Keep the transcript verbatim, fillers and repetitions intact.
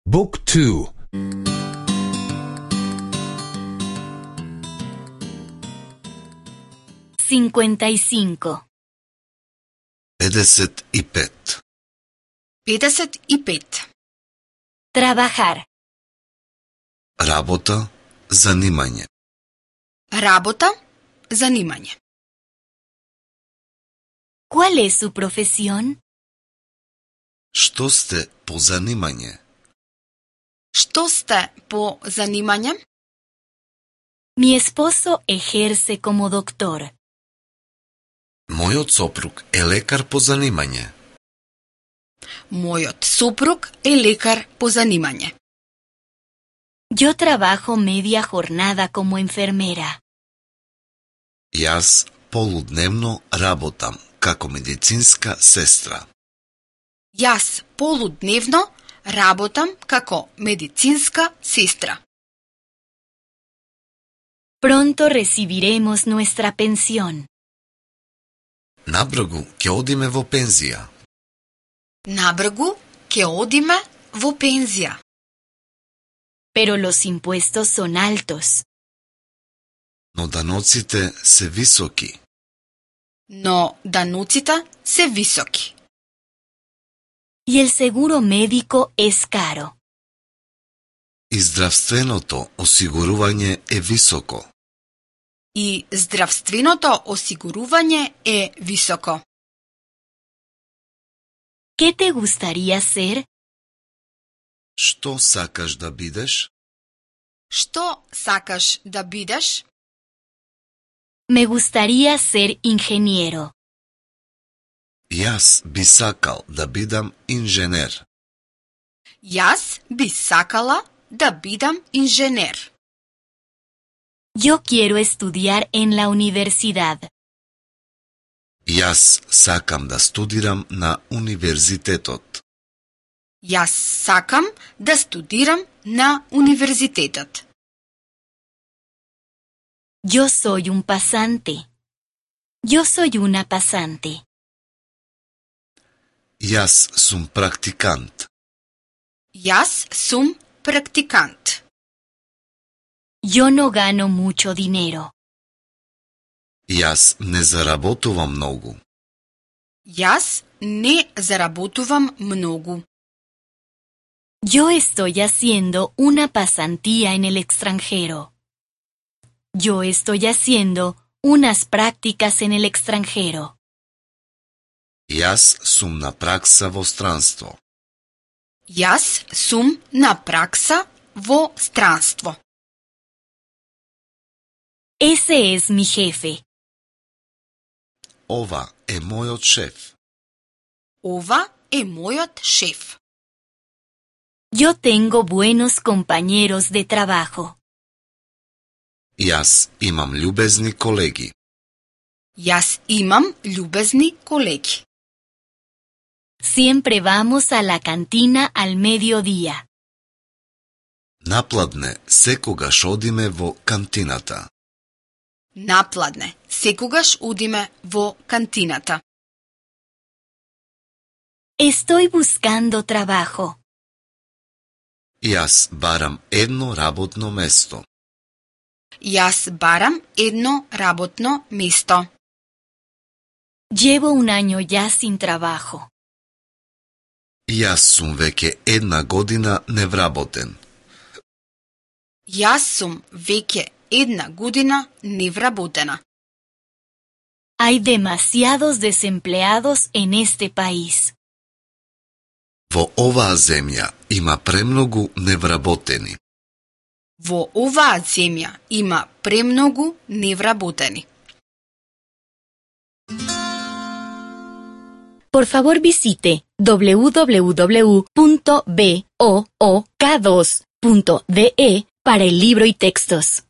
Book two. cincuenta y cinco. педесет и пет. педесет и пет. Trabajar. Работа, занимање. Работа, занимање. ¿Cuál es su profesión? Што сте по занимање? Што сте по занимање? Mi esposo ejerce como doctor. Мојот сопруг е лекар по занимање. Мојот сопруг е лекар по занимање. Yo trabajo media jornada como enfermera. Јас полудневно работам како медицинска сестра. Јас полудневно работам како медицинска сестра. Pronto recibiremos nuestra pensión. Набргу ќе одиме во пензија. Набргу ќе одиме во пензија. Pero los impuestos son altos. Но даноците се високи. Но даноците се високи. Y el seguro médico es caro. И здравственото осигурување е високо. И здравственото осигурување е високо. ¿Qué te gustaría ser? Што сакаш да бидеш? Што сакаш да бидеш? Me gustaría ser ingeniero. Јас би сакал да бидам инженер. Јас би сакала да бидам инженер. Yo quiero estudiar en la universidad. Јас сакам да студирам на универзитетот. Јас сакам да студирам на универзитетот. Yo soy un pasante. Yo soy una pasante. Јас сум практикант. Јас сум практикант. Yo no gano mucho dinero. Јас не заработувам многу. Јас не заработувам многу. Yo estoy haciendo una pasantía en el extranjero. Yo estoy haciendo unas prácticas en el extranjero. Јас сум на пракса во странство. Јас сум на пракса во странство. Ese es mi jefe. Ова е мојот шеф. Ова е мојот шеф. Yo tengo buenos compañeros de trabajo. Јас имам љубезни колеги. Јас имам љубезни колеги. Siempre vamos a la cantina al mediodía. Напладне секогаш одиме во кантината. Напладне секогаш одиме во кантината. Estoy buscando trabajo. Јас барам едно работно место. Јас барам едно работно место. Llevo un año ya sin trabajo. Јас сум веќе една година невработен. Јас сум веќе една година невработена. Hay demasiados desempleados en este país. Во оваа земја има премногу невработени. Во оваа земја има премногу невработени. Por favor visite doble u doble u doble u punto book dos punto de para el libro y textos.